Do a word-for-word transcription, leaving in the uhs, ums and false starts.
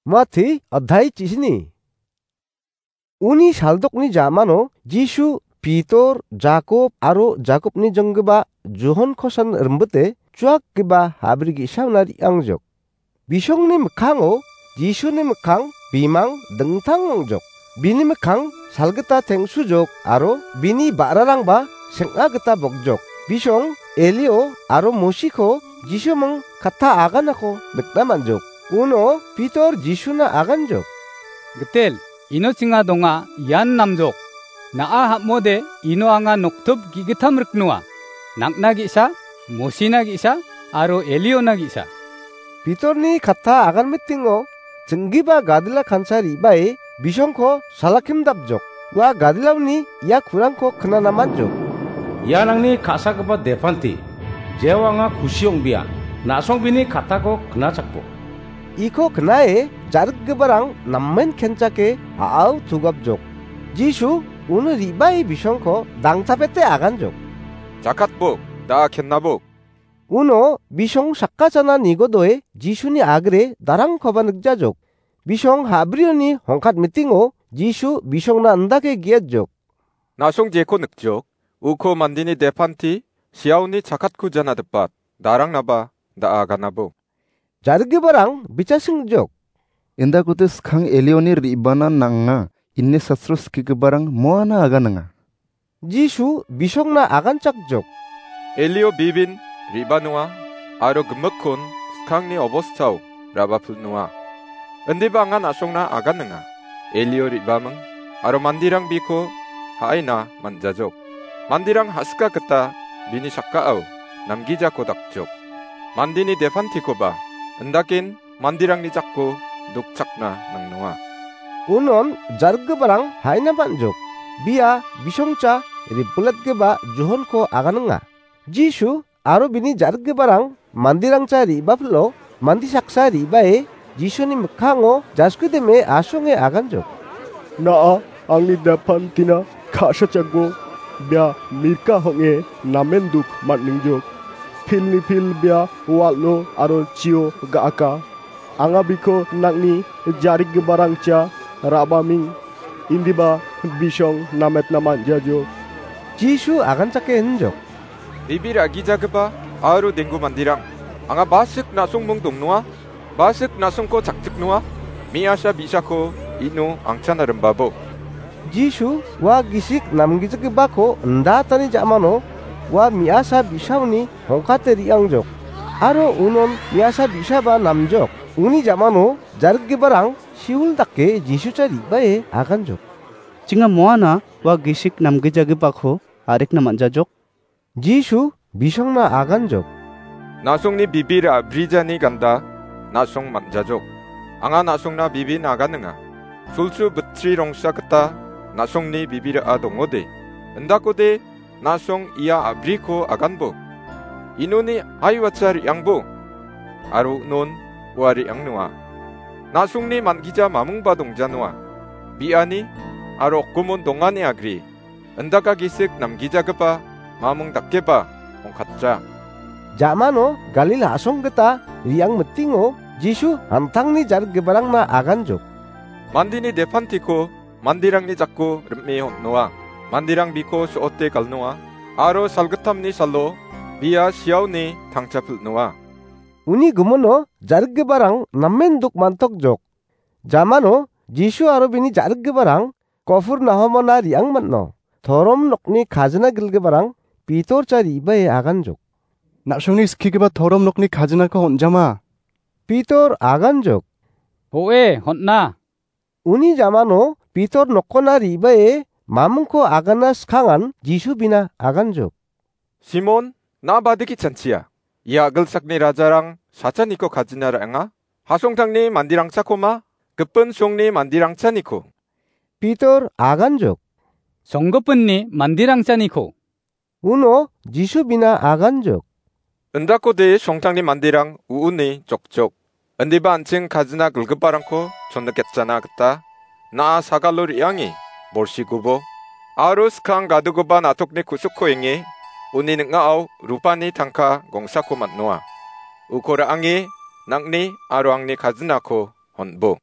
Mate adhai chisini. Uni saldokni jamano Jisu Pitor, Jakob aro Jakobni jonggipa Johonkosan rimbite chuakgipa habri ge·saona re·angjok. Bisongni mikkango Jisuni mikkang bimang dingtang ong·jok. Bini mikkang salgita tengsujok aro bini ba·rarangba seng·a gita bogjok. Bisong Elio aro Mosiko Jisuming katta aganako nikna man·jok. Uno Pitor Jisuna aganjok. Gitel, ino chinga donga, ian namjok. Na·a ham·ode ino anga noktip ge·gittam riknoa. Nang·na ge·sa, Mosina ge·sa, aro Eliona ge·sa. Pitorni katta agan mitingo ching·gipa gadila kansa re·bae bisongko salakimdapjok. Ua gadilaoni ia kurangko knana man·jok. Ian angni ka·sagipa depanti, jeo anga kusi ong·bia, na·songbini kattako knachakbo. Iko knae jarikgiparang namen kenchake a·ao tugapjok. Jisu uno re·bae bisongko dangtapete aganjok. Jakatbok, da·a kennabok. Uno bisong sakgachana nigodoe Jisuni agre darangkoba nikjajok. Bisong ha·brioni hongkat mitingo Jisu bisongna indake ge·atjok. Na·song jeko nikjok, uko mandeni depanti siaoni chakatku jana dipat, darangnaba da·a ganabo. Jarikgiparang bichasing ong·jok. Indakode skang Elioni re·bana nang·a, ine sastro skigiparang moana aganinga. Jisu bisongna aganchakjok. Elio bibin re·banoa aro gimikkon skangni obostao rabapilnoa. Indiba anga na·songna aganinga. Elio re·baming aro manderang biko ha·aina man·jajok. Manderang ha·sika gita bini sakao namgijako dakjok. Mandeni depantikoba indaken manderangni jako dokchakna nangnoa. Unon jarikgiparang ha·aina man·jok. Bia bisongcha ripilatgipa Johonko aganinga. Jisu aro bini jarikgiparang manderangcha re·bapilo mande saksa re·bae Jisuni mikkango jaskideme asonge aganjok. Na·a angni depantina ka·sachakbo, bia mirka hong·e namen duk man·ningjok. Pilni pil bia wal·o aro chio ga·aka. Anga biko nang·ni jarikgiparangcha ra·baming, indiba bisong nametna man·jajok. Jisu aganchake injok. Bibi ra·gijagipa aro denggu manderang, anga basik na·songmung dongnoa, basik na·songko chakchiknoa, me·asa bi·sako ino angchana rimbabo. Jisu ua gisik namgijagipako indatani ja·mano ua me·asa bi·saoni hongkate re·angjok. Aro unon me·asa bi·saba namjok. Uni ja·mano jarikgiparang siul dake Jisucha re·bae aganjok. Chinga moana ua gisik namgijagipako arikna man·jajok. Jisu bisongna aganjok. Na·songni bibir a·brijani ganda na·song man·jajok. Anga na·songna bibin aganinga. Sulsu bitri rongsa gita na·songni bibir a·dongode. Indakode na·song ia a·briko aganbo. Inoni aiwacha re·angbo. Aro non ua re·angnoa. Na·songni man·gija mamungba dongjanoa. Bi·ani aro okgimon dongani agri. Indaka gisik namgijagipa mamung dakeba ongkatja. Ja·mano Galil a·song gita re·ang mitingo Jisu an·tangni jarikgiparangna aganjok. Mandeni depantiko manderangni jako rim·e on·noa. Manderang biko so·ote galnoa aro salgittamni salo bia siaoni tangchapilnoa. Uni gimino jarikgiparang namen duk man·tokjok. Ja·mano Jisu aro bini jarikgiparang Kopernahumona re·ang man·o. Torom nokni kajina gilgiparang Pitorcha re·bae aganjok. Na·songni skigipa torom nokni kajinako on·jama. Pitor aganjok. O·e, on·a. Uni ja·mano Pitor nokkona re·bae mamungko agana skangan Jisu bina aganjok. Simon, na·a badiki chanchia? Ia a·gilsakni rajarang sachaniko kajina ra·enga. Hasongtangni manderangchakoma, gipin songni manderangchaniko. Pitor aganjok. Songgipinni manderangchaniko. Uno Jisu bina aganjok. Indakode songtangni manderang u·uni jokjok. Indiba an·ching kajina gilgiparangko chonniketjana gita na·a sagalo re·ange borsigubo. Aro skang gadogipa na·tokni ku·sukko enge uni ning·ao rupani tangka gongsako man·noa. Uko ra·ange nang·ni aro angni kajinako on·bo.